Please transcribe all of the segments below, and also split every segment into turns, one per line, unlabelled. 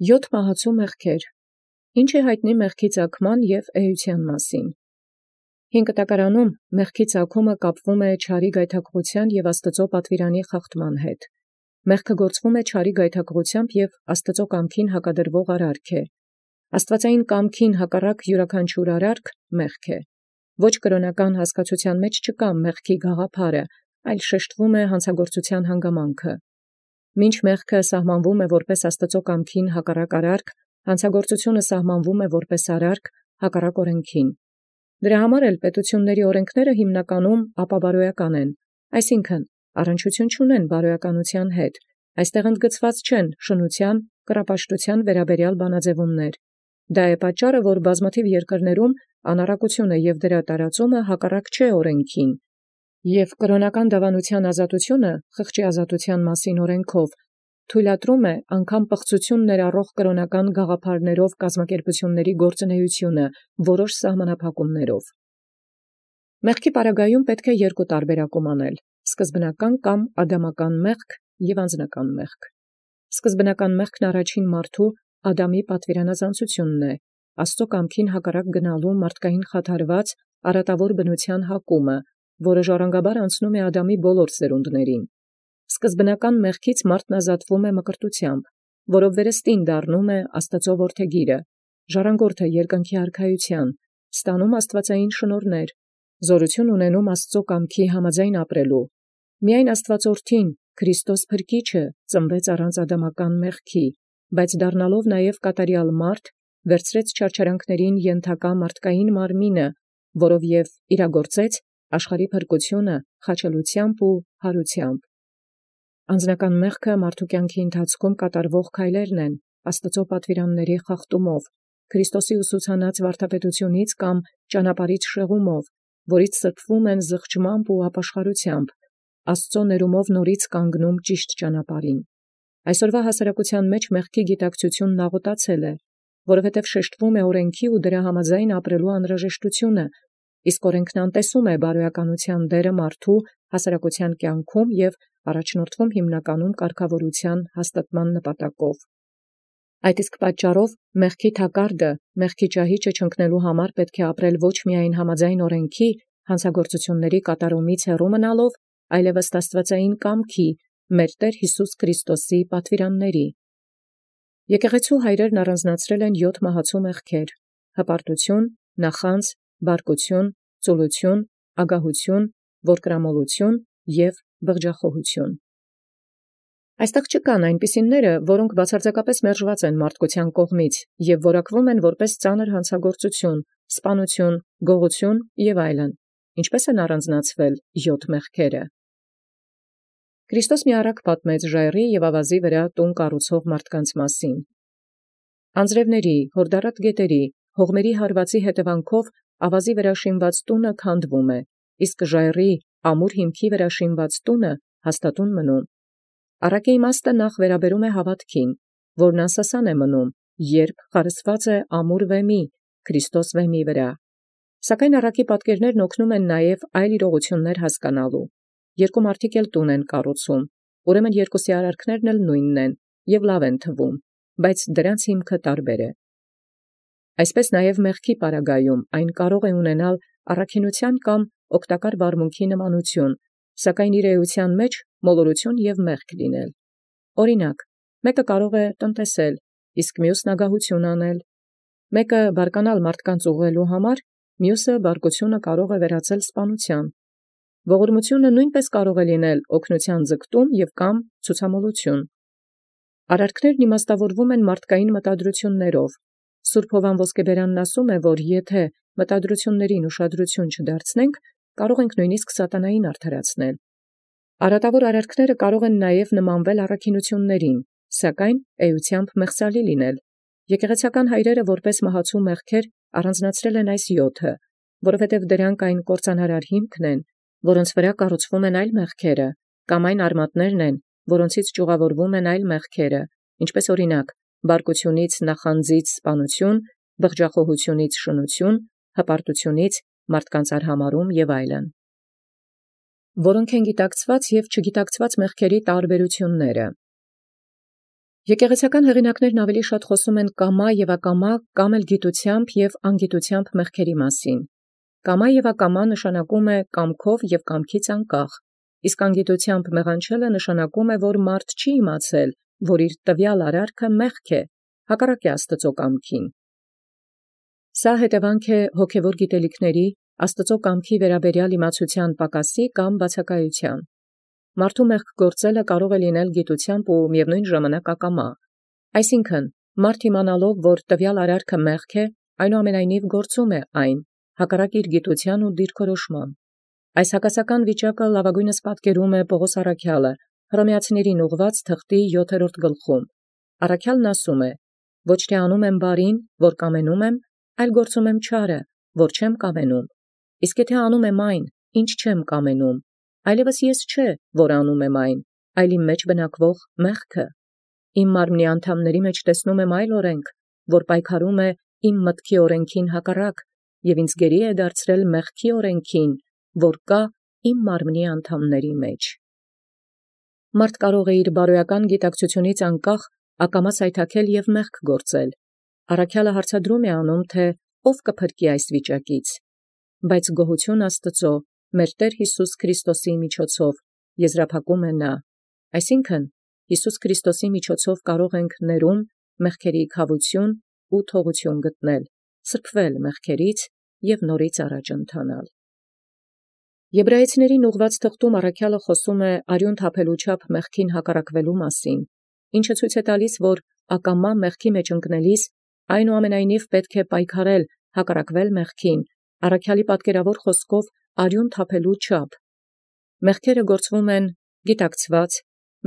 Յոթ մահացու մեղքեր։ Ինչ է յայտնի մեղքի ծագման և էության մասին։ Հին կտակարանում մեղքի ծագումը կապվում է չարի գայթակղության և Աստուծո պատվիրանի խախտման հետ։ Մեղքը գործվում է չարի գայթակղությամբ և Աստուծո կամքին հակադրվող արարք է։ Աստուածային կամքին հակառակ յուրաքանչյուր արարք մեղք է։ Ոչ կրոնական հասկացության մեջ չկա մեղքի գաղափարը, այլ շեշտվում է հանցագործության հանգամանքը։ Մինչ մեղքը սահմանվում է որպես Աստուծո կամքին հակառակ արարք, հանցագործությունը սահմանվում է որպես արարք հակառակ օրենքին։ Դրա համար էլ պետությունների օրենքները հիմնականում ապաբարոյական են, այսինքն առնչություն չունեն բարոյականության հետ, այստեղ ընդգծված չեն շնության, կռապաշտության վերաբերյալ բանաձևումներ։ Դա է պատճառը, որ բազմաթիվ երկրներում անառակությունը և դրա տարածումը հակառակ չէ օրենքին, և կրոնական դավանության ազատությունը խղճի ազատության մասին օրենքով թույլատրում է անգամ պղծություն ներառող կրոնական գաղափարներով կազմակերպությունների գործունեությունը որոշ սահմանափակումներով։ Մեղքի պարագայում պետք է երկու տարբերակում անել. սկզբնական կամ ադամական մեղք և անձնական մեղք։ Սկզբնական մեղքն առաջին մարդու Ադամի պատվիրանազանցությունն է, Աստծո կամքին հակառակ գնալու մարդկային խաթարված արատավոր բնության հակումը, որը ժառանգաբար անցնում է Ադամի բոլոր սերունդներին։ Սկզբնական մեղքից մարդն ազատվում է մկրտությամբ, որով վերստին դառնում է Աստծո որդեգիրը, ժառանգորդ է երկնքի արքայության, ստանում աստվածային շնորհներ, զորություն ունենում Աստծո կամքի համաձայն ապրելու։ Միայն Աստվածորդին, Քրիստոս Փրկիչը, ծնվեց առանց ադամական մեղքի, բայց դառնալով նաև կատարյալ մարդ, վերցրեց չարչարանքներին ենթակա մարդկային մարմինը, որով և իրագործեց աշխարհի փրկությունը խաչելությամբ ու հարությամբ։ Անձնական մեղքը մարդու կյանքի ընթացքում կատարվող քայլերն են, Աստծո պատվիրանների խախտումով, Քրիստոսի ուսուցանած վարդապետությունից կամ ճանապարհից շեղումով, որից սրբվում են զղջմամբ ու ապաշխարությամբ, Աստծո ներումով նորից կանգնում ճիշտ ճանապարհին։ Այսօրվա հասարակության մեջ մեղքի գիտակցությունն աղոտացել է, որովհետև շեշտվում է օրենքի ու դրա համաձայն ապրելու անհրաժեշտությունը, իսկ օրենքն անտեսում է բարոյականության դերը մարդու հասարակության կյանքում և առաջնորդվում հիմնականում կարգավորության հաստատման նպատակով։ Այդ իսկ պատճառով մեղքի թակարդը, մեղքի ճահիճը չընկնելու համար պետք է ապրել ոչ միայն համաձայն օրենքի, հանցագործությունների կատարումից հեռու մնալով, այլև ըստ աստվածային կամքի, մեր Տեր Յիսուս Քրիստոսի պատվիրանների։ Եկեղեցու հայրերն առանձնացրել են 7 մահացու մեղքեր. հպարտություն, նախանձ, բարկություն, ծուլություն, ագահություն, որդկրամոլություն և բղջախոհություն։ Այստեղ չկան այնպիսիները, որոնք բացարձակապես մերժված են մարդկության կողմից և որակվում են որպես ծանր հանցագործություն, սպանություն, գողություն և այլն։ Ինչպե՞ս են առանձնացվել 7 մեղքերը։ Քրիստոս մի առակ պատմեց ժայռի և ավազի վրա տուն կառուցող մարդկանց մասին։ Անձրևների, հորդառատ գետերի, հողմերի հարվածի հետևանքով ավազի վրա շինված տունը քանդվում է, իսկ ժայռի ամուր հիմքի վրա շինված տունը հաստատուն մնում։ Առակի իմաստը նախ վերաբերում է հավատքին, որն անսասան է մնում, երբ խարսված է ամուր վեմի, Քրիստոս վեմի վրա։ Սակայն առակի պատկերներն օգնում են նաև այլ իրողություններ հասկանալու։ Երկու մարդիկ էլ տուն են կառուցում, ուրեմն երկուսի արարքներն էլ նույնն են և լավ են թվում, բայց դրանց հիմքը տարբեր է։ Այսպես նաև մեղքի պարագայում այն կարող է ունենալ առաքինության կամ օգտակար վարմունքի նմանություն, սակայն իր էության մեջ մոլորություն և մեղք լինել։ Օրինակ, մեկը կարող է տնտեսել, իսկ մյուսն ագահություն անել։ Մեկը բարկանալ մարդկանց ուղղելու համար, մյուսը բարկությունը կարող է վերածել սպանության։ Ողորմությունը նույնպես կարող է լինել օգնության ձգտում և կամ ցուցամոլություն։ Արարքներն իմաստավորվում են մարդկային մտադրություններով։ Սուրբ Հովան Ոսկեբերանն ասում է, որ եթե մտադրություններին ուշադրություն չդարձնենք, կարող ենք նույնիսկ սատանային արդարացնել։ Արատավոր արարքները կարող են նաև նմանվել առաքինություններին, սակայն էությամբ մեղսալի լինել։ Եկեղեցական հայրերը որպես մահացու մեղքեր առանձնացրել են այս 7-ը, որովհետև դրանք այն կործանարար հիմքն են, որոնց վրա կառուցվում են այլ մեղքերը, կամ այն արմատներն են, որոնցից ճյուղավորվում են այլ մեղքերը, ինչպես օրինակ բարկությունից նախանձից սպանություն, բղջախոհությունից շնություն, հպարտությունից մարդկանց արհամարում և այլն։ Որոնք են գիտակցված և չգիտակցված մեղքերի տարբերությունները։ Եկեղեցական հեղինակներն ավելի շատ խոսում են կամա եւ ակամա կամ էլ գիտությամբ եւ անգիտությամբ մեղքերի մասին։ Կամա եւ ակամա նշանակում է կամքով եւ կամքից անկախ, իսկ անգիտությամբ մեղանչելը նշանակում է, որ մարդ չի իմացել, որ իր տվյալ արարքը մեղք է, հակառակ է Աստծո կամքին։ Սա հետևանք է հոգևոր գիտելիքների, Աստծո կամքի վերաբերյալ իմացության պակասի կամ բացակայության։ Մարդու մեղք գործելը կարող է լինել գիտությամբ ու միևնույն ժամանակ ակամա։ Այսինքն, մարդ իմանալով, որ տվյալ արարքը մեղք է, այնուամենայնիվ գործում է այն, հակառակ իր գիտության ու դիրքորոշման։ Այս հակասական վիճակը լավագույնս պատկերում է Պողոս առաքյալը Հռոմեացիներին ուղղված թղթի 7-րդ գլխում։ Առաքյալն ասում է. «Ոչ թե անում եմ բարին, որ կամենում եմ, այլ գործում եմ չարը, որ չեմ կամենում։ Իսկ եթե անում եմ այն, ինչ չեմ կամենում, այլևս ես չէ, որ անում եմ այն, այլ իմ մեջ բնակվող մեղքը։ Իմ մարմնի անդամների մեջ տեսնում եմ այլ օրենք, որ պայքարում է իմ մտքի օրենքին հակառակ, և ինձ գերի է դարձրել մեղքի օրենքին, որ կա իմ մարմնի անդամների մեջ»։ Մարդ կարող է իր բարոյական գիտակցությունից անկախ ակամա սայթաքել և մեղք գործել։ Առաքյալը հարցադրում է անում, թե ով կփրկի այս վիճակից։ Բայց գոհություն Աստծո, մեր Տեր Հիսուս Քրիստոսի միջոցով, եզրափակում է նա։ Այսինքն, Հիսուս Քրիստոսի միջոցով կարող ենք ներում, մեղքերի քավություն ու թողություն գտնել, սրբվել մեղքերից և նորից առաջ ընթանալ։ Եբրայեցիներին ուղղված թղթում առաքյալը խոսում է արյուն թափելու չափ մեղքին հակառակվելու մասին, ինչը ցույց է տալիս, որ ակամա մեղքի մեջ ընկնելիս այնուամենայնիվ պետք է պայքարել, հակառակվել մեղքին, առաքյալի պատկերավոր խոսքով արյուն թափելու չափ։ Մեղքերը գործվում են գիտակցված,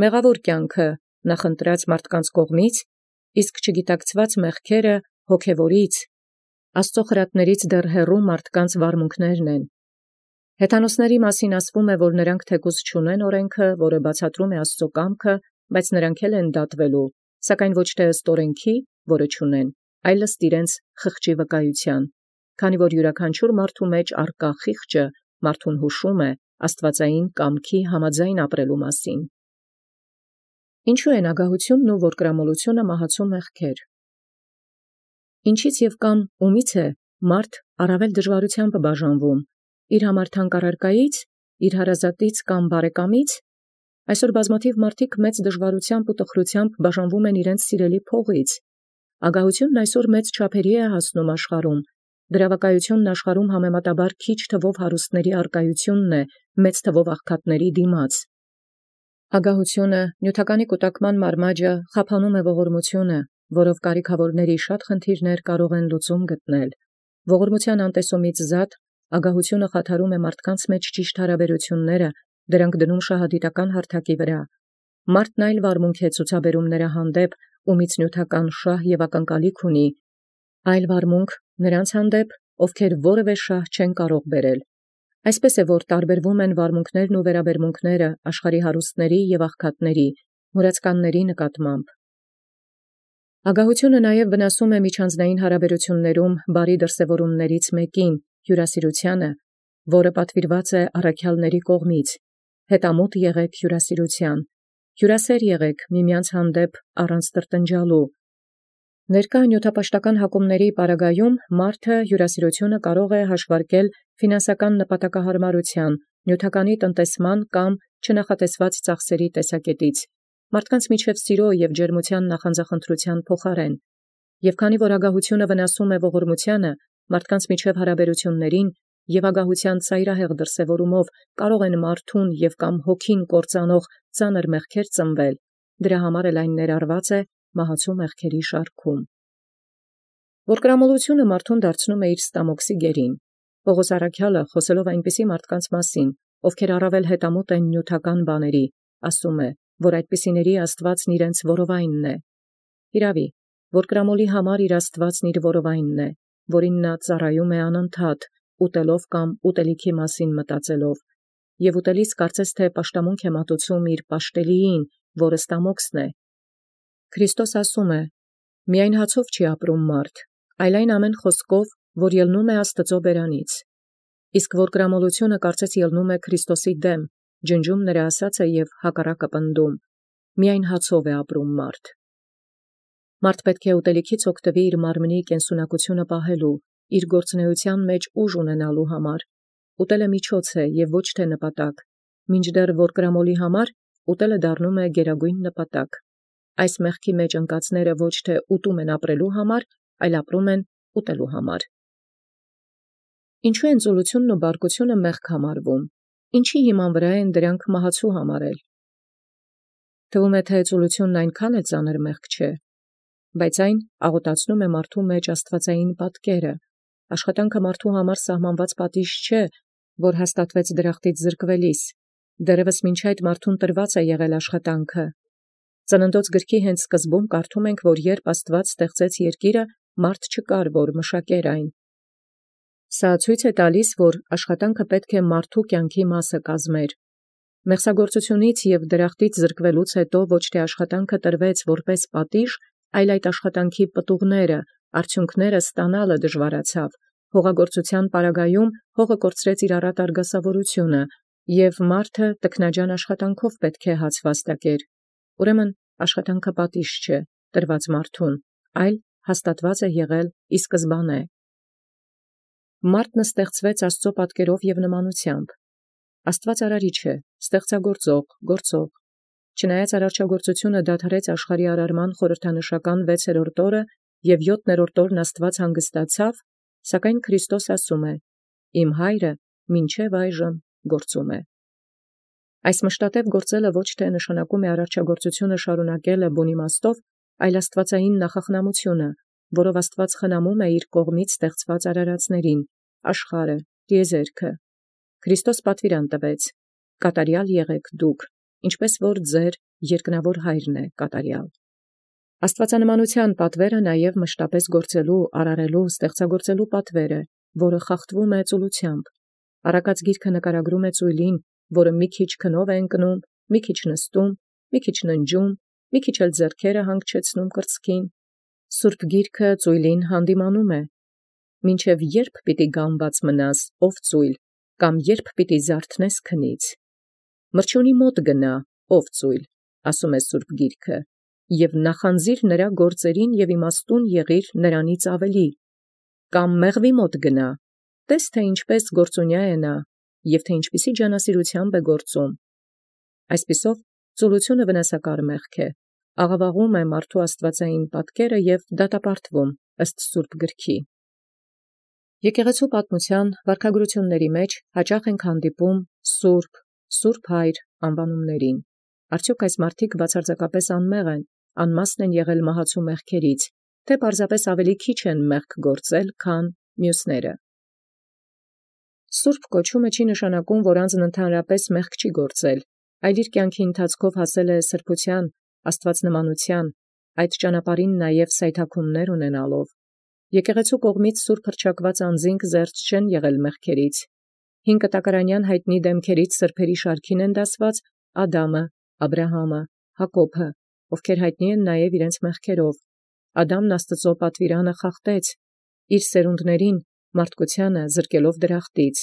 մեղավոր կյանքը նախընտրած մարդկանց կողմից, իսկ չգիտակցված մեղքերը հոգևորից, Աստծո խրատներից դեռ հեռու մարդկանց վարմունքներն են։ Հեթանոսների մասին ասվում է, որ նրանք թեկուզ չունեն օրենքը, որը բացատրում է Աստծո կամքը, բայց նրանք էլ են դատվելու, սակայն ոչ թե ըստ օրենքի, որը չունեն, այլ ըստ իրենց խղճի վկայության, քանի որ յուրաքանչյուր մարդու մեջ արկա խիղճը մարդուն հուշում է աստվածային կամքի համաձայն ապրելու մասին։ Ինչու են ագահությունն ու որդկրամոլությունը մահացու մեղքեր։ Ինչից և կամ ումից է մարդ առավել դժվարությամբ բաժանվում, իր համար թանկ առարկայից, իր հարազատից կամ բարեկամից։ Այսօր բազմաթիվ մարդիկ մեծ դժվարությամբ ու տխրությամբ բաժանվում են իրենց սիրելի փողից։ Ագահությունն այսօր մեծ չափերի է հասնում աշխարհում։ Դրավակայությունն աշխարհում համեմատաբար քիչ թվով հարուստների առկայությունն է մեծ թվով աղքատների դիմաց։ Ագահությունը, նյութականի կուտակման մարմաճը խափանում է ողորմությունը, որով կարիքավորների շատ խնդիրներ կարող են լուծում գտնել։ Ողորմության անտեսումից զատ ագահությունը խաթարում է մարդկանց մեջ ճիշտ հարաբերությունները, դրանք դնում շահադիտական հարթակի վրա։ Մարդն այլ վարմունք է ցուցաբերում նրա հանդեպ, ումից նյութական շահ և ակնկալիք ունի, այլ վարմունք նրանց հանդեպ, ովքեր որևէ շահ չեն կարող բերել։ Այսպես է, որ տարբերվում են վարմունքներն ու վերաբերմունքները աշխարհի հարուստների և աղքատների, մուրացկանների նկատմամբ։ Ագահությունը նաև վնասում է միջանձնային հարաբերություններում բարի դրսևորումներից մեկին, հյուրասիրությանը, որը պատվիրված է առաքյալների կողմից։ Հետամուտ եղեք հյուրասիրության, հյուրասեր եղեք միմյանց հանդեպ առանց տրտնջալու։ Ներկա նյութապաշտական հակումների պարագայում մարդը հյուրասիրությունը կարող է հաշվարկել ֆինանսական նպատակահարմարության, նյութականի տնտեսման կամ չնախատեսված ծախսերի տեսակետից, մարդկանց միջև սիրո և ջերմության նախանձախնդրության փոխարեն։ Եվ քանի որ ագահությունը վնասում է ողորմությանը, մարդկանց միջև հարաբերություններին և ագահության ծայրահեղ դրսևորումով կարող են մարդուն և կամ հոգին կործանող ծանր մեղքեր ծնվել, դրա համար էլ այն ներառված է մահացու մեղքերի շարքում։ Որդկրամոլությունը մարդուն դարձնում է իր ստամոքսի գերին։ Պողոս առաքյալը, խոսելով այնպիսի մարդկանց մասին, ովքեր առավել հետամուտ են նյութական բաների, ասում է, որ այդպիսիների Աստվածն իրենց որովայնն է։ Իրավի, որդկրամոլի համար իր Աստվածն իր որովայնն է, որին նա ծառայում է անընդհատ, ուտելով կամ ուտելիքի մասին մտածելով, և ուտելիս կարծես թե պաշտամունք է մատուցում իր պաշտելիին, որը ստամոքսն է։ Քրիստոս ասում է. «Միայն հացով չի ապրում մարդ, այլ այն ամեն խոսքով, որ ելնում է Աստծո բերանից»։ Իսկ որդկրամոլությունը կարծես ելնում է Քրիստոսի դեմ, ջնջում նրա ասածը և հակառակը պնդում. «Միայն հացով է ապրում մարդ»։ Մարդ պետք է ուտելիքից օգտվի իր մարմնի կենսունակությունը պահելու, իր գործունեության մեջ ուժ ունենալու համար։ Ուտելը միջոց է եւ ոչ թե նպատակ։ Մինչդեռ որ կրամոլի համար ուտելը դառնում է գերագույն նպատակ։ Այս մեղքի մեջ ընկածները ոչ թե ուտում են ապրելու համար, այլ ապրում են ուտելու համար։ Ինչու են ծուլությունն ու բարկությունը մեղք համարվում։ Ինչի հիման վրա են դրանք մահացու համարել։ Թվում է, թե ծուլությունն այնքան է ծանր մեղք չէ, բայց այն աղոտացնում է մարդու մեջ աստվածային պատկերը։ Աշխատանքը մարդու համար սահմանված պատիժ չէ, որ հաստատվեց դրախտից զրկվելիս։ Դեռևս մինչ այդ մարդուն տրված է եղել աշխատանքը։ Ծննդոց գրքի հենց սկզբում կարդում ենք, որ երբ Աստված ստեղծեց երկիրը, մարդ չկար, որ մշակեր այն։ Սա ցույց է տալիս, որ աշխատանքը պետք է մարդու կյանքի մասը կազմեր։ Մեղսագործությունից եւ դրախտից զրկվելուց հետո ոչ թե աշխատանքը տրվեց որպես պատիժ, այլ այդ աշխատանքի պտուղները, արդյունքները ստանալը դժվարացավ։ Հողագործության պարագայում հողը կորցրեց իր առատ արգասավորությունը, եւ մարդը տքնաջան աշխատանքով պետք է հաց վաստակեր։ Ուրեմն աշխատանքը պատիժ չէ տրված մարդուն, այլ հաստատված է եղել ի սկզբանե։ Մարդն ստեղծվեց Աստծո պատկերով եւ նմանությամբ։ Աստված արարիչ է, ստեղծագործող, գործող։ Չնայած արարչագործությունը դադարեց աշխարհի արարման խորհրդանշական 6-րդ օրը եւ 7-րդ օրն Աստված հանգստացավ, սակայն Քրիստոս ասում է. «Իմ հայրը մինչև այժմ գործում է»։ Այս մշտատև գործելը ոչ թե նշանակում է արարչագործությունը շարունակելը բուն իմաստով, այլ աստվածային նախախնամությունը, որով Աստված խնամում է իր կողմից ստեղծված արարածներին, աշխարհը, տիեզերքը։ Քրիստոս պատվիրան տվեց. «Կատարյալ եղեք դուք, ինչպես որ ձեր երկնավոր հայրն է կատարյալ»։ Աստվածանմանության պատվերը նաև մշտապես գործելու, արարելու, ստեղծագործելու պատվեր է, որը խախտվում է ծուլությամբ։ Առակաց գիրքը նկարագրում է ծույլին, որը մի քիչ քնով է ընկնում, մի քիչ նստում, մի քիչ ննջում, մի քիչ էլ ձեռքերը հանգչեցնում կրծքին։ Սուրբ գիրքը ծույլին հանդիմանում է. «Մինչև երբ պիտի գամված մնաս, ով ծույլ, կամ երբ պիտի զարթնես քնից։ Մրջյունի մոտ գնա, ով ծույլ», ասում է Սուրբ գիրքը, «եւ նախանձիր նրա գործերին եւ իմաստուն եղիր նրանից ավելի։ Կամ մեղվի մոտ գնա, տես թե ինչպես գործունյա է նա, եւ թե ինչպիսի ջանասիրությամբ է գործում»։ Այսպիսով ծուլությունը վնասակար մեղք է, աղավաղում է մարդու աստվածային պատկերը եւ դատապարտվում ըստ Սուրբ գրքի։ Եկեղեցու պատմության վարքագրությունների մեջ հաճախ ենք հանդիպում Սուրբ, Սուրբ Հայր անվանումներին։ Արդյոք այս մարդիկ բացարձակապես անմեղ են, անմասն են եղել մահացու մեղքերից, թե պարզապես ավելի քիչ են մեղք գործել, քան մյուսները։ Սուրբ կոչումը չի նշանակում, որ անձն ընդհանրապես մեղք չի գործել, այլ իր կյանքի ընթացքով հասել է սրբության, աստվածնմանության, այդ ճանապարհին նաև սայթաքումներ ունենալով։ Եկեղեցու կողմից սուրբ հռչակված անձինք զերծ չեն եղել մեղքերից։ 5 կտակարանյան հայտնի դեմքերից սրբերի շարքին են դասված Ադամը, Աբրահամը, Հակոբը, ովքեր հայտնի են նաև իրենց մեղքերով։ Ադամն Աստծո պատվիրանը խախտեց, իր սերունդներին, մարդկությանը զրկելով դրախտից։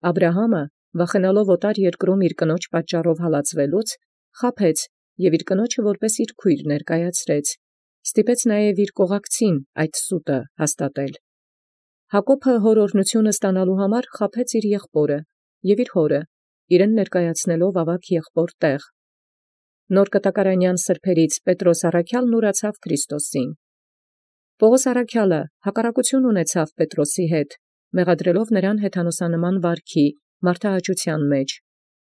Աբրահամը, վախենալով օտար երկրում իր կնոջ պատճառով հալածվելուց, խաբեց եւ իր կնոջը որպես իր քույր ներկայացրեց։ Ստիպեց նաև իր կողակցին այդ սուտը հաստատել։ Հակոբը հոր օրհնությունը ստանալու համար խաբեց իր եղբորը եւ իր հորը, իրեն ներկայացնելով ավագ եղբոր տեղ։ Նոր կտակարանյան սրբերից Պետրոս առաքյալն ուրացավ Քրիստոսին։ Պողոս առաքյալը հակառակություն ունեցավ Պետրոսի հետ, մեղադրելով նրան հեթանոսանման վարքի, մարդահաճության մեջ։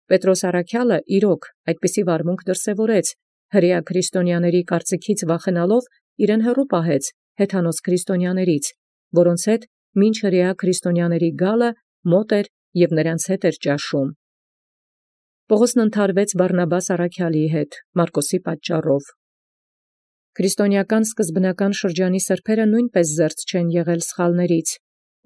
Պետրոս առաքյալը իրոք այդպիսի վարմունք դրսևորեց, հրեա քրիստոնյաների կարծիքից վախենալով իրեն հեռու պահեց հեթանոս քրիստոնյաներից, որոնց հետ մինչ հրեա քրիստոնյաների գալը մոտ էր եւ նրանց հետ էր ճաշում։ Պողոսն ընդհարվեց Բարնաբաս առաքյալի հետ Մարկոսի պատճառով։ Քրիստոնեական սկզբնական շրջանի սրբերը նույնպես զերծ չեն եղել սխալներից։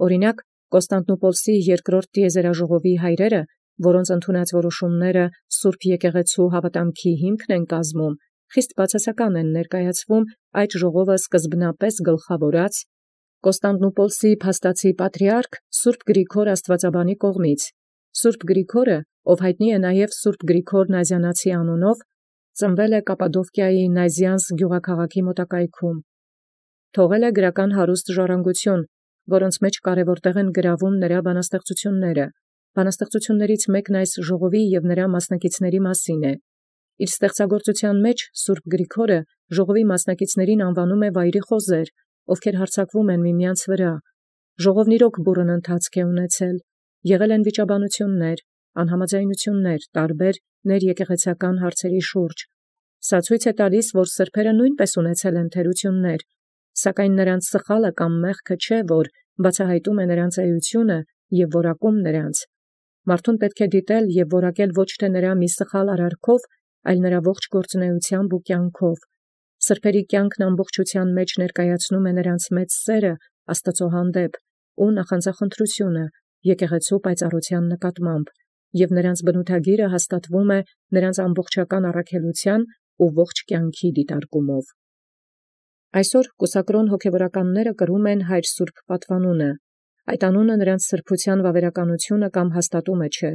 Օրինակ, Կոստանդնուպոլսի երկրորդ տիեզերաժողովի հայրերը, որոնց ընդունած որոշումները Սուրբ եկեղեցու հավատամքի հիմքն են կազմում, խիստ բացասական են ներկայացվում այդ ժողովը սկզբնապես գլխավորած Կոստանդնուպոլսի փաստացի պատրիարք Սուրբ Գրիգոր Աստվածաբանի կողմից։ Սուրբ Գրիգորը, ով հայտնի է նաև Սուրբ Գրիգոր Նազիանացի անունով, ծնվել է Կապադովկիայի Նայզյանս գյուղաքաղաքի մոտակայքում։ Թողել է գրական հարուստ ժառանգություն, որոնց մեջ կարևոր տեղ են գրավում նրա բանաստեղծությունները։ Բանաստեղծություններից մեկն այս ժողովի և նրա մասնակիցների մասին է։ Իր ստեղծագործության մեջ Սուրբ Գրիգորը ժողովի մասնակիցներին անվանում է վայրի խոզեր, ովքեր հարձակվում են միմյանց վրա։ Ժողովն իրոք բուռն ընթացք է ունեցել, եղել են վիճաբանություններ, անհամաձայնություններ տարբեր ներեկեղեցական հարցերի շուրջ։ Սա ցույց է տալիս, որ սրբերը նույնպես ունեցել են թերություններ, սակայն նրանց սխալը կամ մեղքը չէ, որ բացահայտում է նրանց էությունը և որակում նրանց։ Մարդուն պետք է դիտել և որակել ոչ թե նրա մի սխալ արարքով, այլ նրա ողջ գործունեությամբ ու կյանքով։ Սրբերի կյանքն ամբողջության մեջ ներկայացնում է նրանց մեծ սերը Աստծո հանդեպ ու նախանձախնդրությունը եկեղեցու պայծառության նկատմամբ, և նրանց բնութագիրը հաստատվում է նրանց ամբողջական առաքելության ու ողջ կյանքի դիտարկումով։ Այսօր կուսակրոն հոգևորականները կրում են Հայր Սուրբ պատվանունը։ Այդ անունը նրանց սրբության վավերականությունը կամ հաստատումը չէ։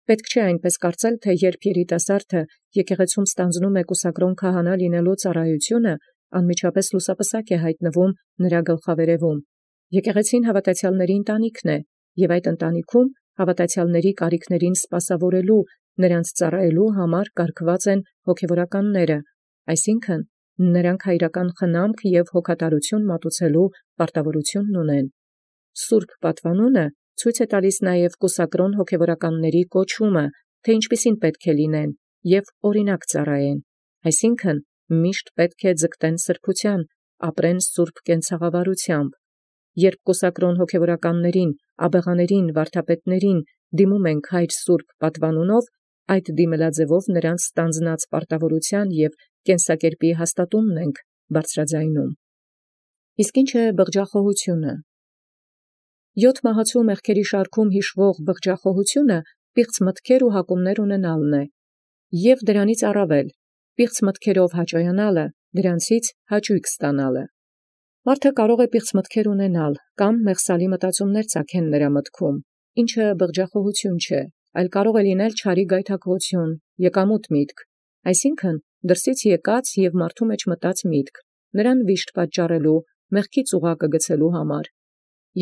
Պետք չէ այնպես կարծել, թե երբ երիտասարդը եկեղեցում ստանձնում է կուսակրոն քահանա լինելու ծառայությունը, անմիջապես լուսապսակ է հայտնվում նրա գլխավերևում։ Եկեղեցին հավատացյալների ընտանիքն է, և այդ ընտանիքում հավատացյալների կարիքներին սպասավորելու, նրանց ծառայելու համար կարգված են հոգևորականները, այսինքն նրանք հայրական խնամք և հոգատարություն մատուցելու պարտավորությունն ունեն։ Սուրբ պատվանունը ցույց է տալիս նաև կուսակրոն հոգևորականների կոչումը, թե ինչպիսին պետք է լինեն և օրինակ ծառայեն, այսինքն միշտ պետք է ձգտեն սրբության, ապրեն սուրբ կենցաղավարությամբ։ Երբ կուսակրոն հոգևորականներին, աբեղաներին, վարդապետներին դիմում ենք Հայր Սուրբ պատվանունով, այդ դիմելաձևով նրանց ստանձնած պարտավորության և կենսակերպի հաստատումն ենք բարձրաձայնում։ Իսկ ինչ է բղջախոհությունը։ 7 մահացու մեղքերի շարքում հիշվող բղջախոհությունը պիղծ մտքեր ու հակումներ ունենալն է, և դրանից առավել պիղծ մտքերով հաճոյանալը, դրանցից հաճույք ստանալը։ Մարդը կարող է պիղծ մտքեր ունենալ կամ մեղսալի մտածումներ ծագեն նրա մտքում, ինչը բղջախոհություն չէ, այլ կարող է լինել չարի գայթակղություն, եկամուտ միտք, այսինքն դրսից եկած և մարդու մեջ մտած միտք, նրան վիշտ պատճառելու, մեղքի ծուղակը գցելու համար։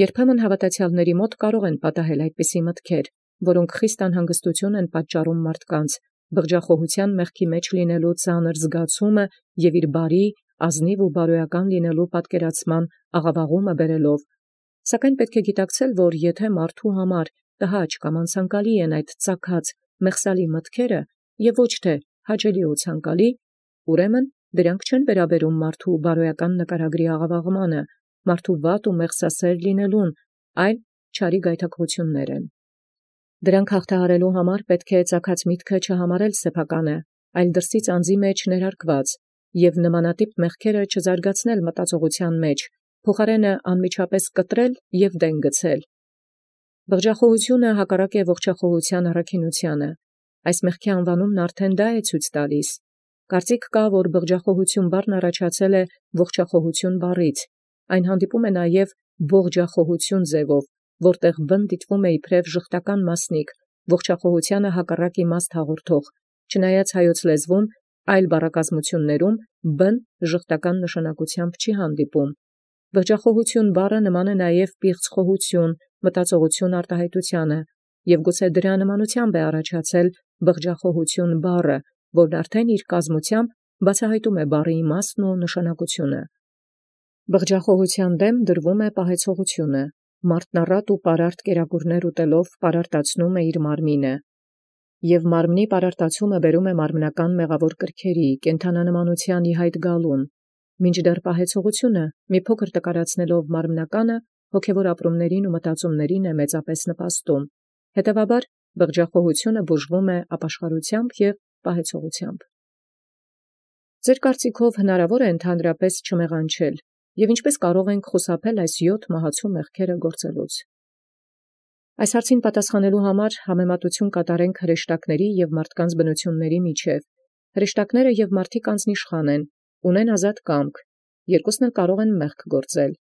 Երբեմն հավատացյալների մոտ կարող են պատահել այդպիսի մտքեր, որոնք խիստ անհանգստություն են պատճառում մարդկանց, բղջախոհության մեղքի մեջ լինելու ծանր զգացումը և իր բարի, ազնիվ ու բարոյական լինելու պատկերացման աղավաղումը բերելով։ Սակայն պետք է գիտակցել, որ եթե մարդու համար տհաճ կամ անցանկալի են այդ ծագած մեղսալի մտքերը և ոչ թե հաճելի ու ցանկալի, ուրեմն դրանք չեն վերաբերում մարդու բարոյական նկարագրի աղավաղմանը, մարդու վատ ու մեղսասեր լինելուն, այլ չարի գայթակղություններ են։ Դրանք հաղթահարելու համար պետք է ծագած միտքը չհամարել սեփականը, այլ դրսից անձի մեջ ներարկված, և նմանատիպ մեղքերը չզարգացնել մտածողության մեջ, փոխարենը անմիջապես կտրել և դեն գցել։ Բղջախոհությունը հակառակ է ողջախոհության առաքինությանը։ Այս մեղքի անվանումն արդեն դա է ցույց տալիս։ Կարծիք կա, որ բղջախոհություն բառն առաջացել է ողջախոհություն բառից։ Այն հանդիպում է նաև բողջախոհություն ձևով, որտեղ բն դիտվում է իբրև ժխտական մասնիկ, ողջախոհությանը հակառակ իմաստ հաղորդող, չնայած հայոց լեզվում այլ բառակազմություններում բն ժխտական նշանակությամբ չի հանդիպում։ Բղջախոհություն բառը նման է նաև պիղծ խոհություն, մտածողություն արտահայտությանը, և գուցե դրա նմանությամբ է առաջացել բղջախոհություն բառը, որն արդեն իր կազմությամբ բացահայտում է բառի իմաստն ու նշանակությունը։ Բղջախոհության դեմ դրվում է պահեցողությունը։ Մարդն առատ ու պարարտ կերակուրներ ուտելով պարարտացնում է իր մարմինը, և մարմնի պարարտացումը բերում է մարմնական մեղավոր կրքերի, կենդանանմանության ի հայտ գալուն, մինչդեռ պահեցողությունը մի փոքր տկարացնելով մարմնականը, հոգևոր ապրումներին ու մտածումներին է մեծապես նպաստում։ Հետևաբար բղջախոհությունը բուժվում է ապաշխարությամբ և պահեցողությամբ։ Ձեր կարծիքով հնարավոր է ընդհանրապես չմեղանչել, և ինչպես կարող ենք խուսափել այս 7 մահացու մեղքերը գործելուց։ Այս հարցին պատասխանելու համար համեմատություն կատարենք հրեշտակների և մարդկանց բնությունների միջև։ Հրեշտակները և մարդիկ անձնիշխան են, ունեն ազատ կամք, երկուսն էլ կարող են մեղք գործել։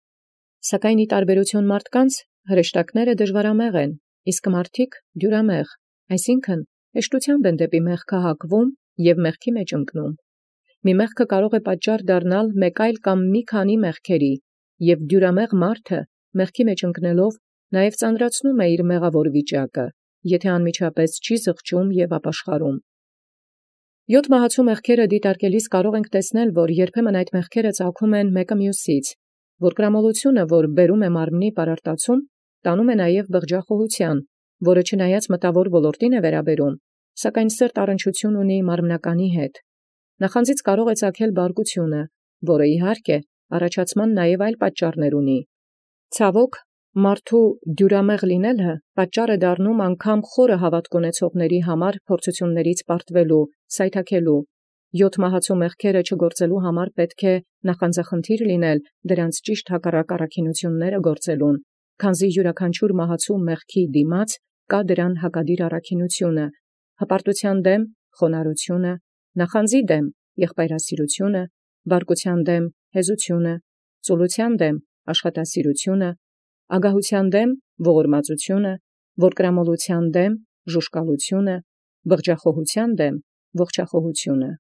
Սակայն ի տարբերություն մարդկանց, հրեշտակները դժվարամեղ են, իսկ մարդիկ դյուրամեղ, այսինքն հեշտությամբ են դեպի մեղքը հակվում և մեղքի մեջ ընկնում։ Մի մեղքը կարող է պատճառ դառնալ մեկ այլ կամ մի քանի մեղքերի, և դյուրամեղ մարդը մեղքի մեջ ընկնելով նաև ծանրացնում է իր մեղավոր վիճակը, եթե անմիջապես չի զղջում և ապաշխարում։ 7 մահացու մեղքերը դիտարկելիս կարող ենք տեսնել, որ երբեմն այդ մեղքերը ծագում են մեկը մյուսից, որ կրամոլությունը, որ բերում է մարմնի պարարտացում, տանում է նաև բղջախոհության, որը չնայած մտավոր ոլորտին է վերաբերում, սակայն սրտ առնչություն ունի մարմնականի հետ։ Նախանձից կարող է ծագել բարկությունը, որը իհարկե առաջացման նաև այլ պատճառներ ունի։ Ցավոք, մարդու դյուրամեղ լինելը պատճառ է դառնում անգամ խորը հավատք ունեցողների համար փորձություններից պարտվելու, սայթաքելու։ 7 մահացու մեղքերը չգործելու համար պետք է նախանձախնդիր լինել դրանց ճիշտ հակառակ առաքինությունները գործելուն, քանզի յուրաքանչյուր մահացու մեղքի դիմաց կա դրան հակադիր առաքինությունը, հպարտության դեմ խոնարհությունը, նախանձի դեմ եղբայրասիրությունը, բարկության դեմ հեզությունը, ծուլության դեմ աշխատասիրությունը, ագահության դեմ ողորմածությունը, որկրամոլության դեմ ժուժկալությունը, բղջախոհության դեմ ողջախոհությունը։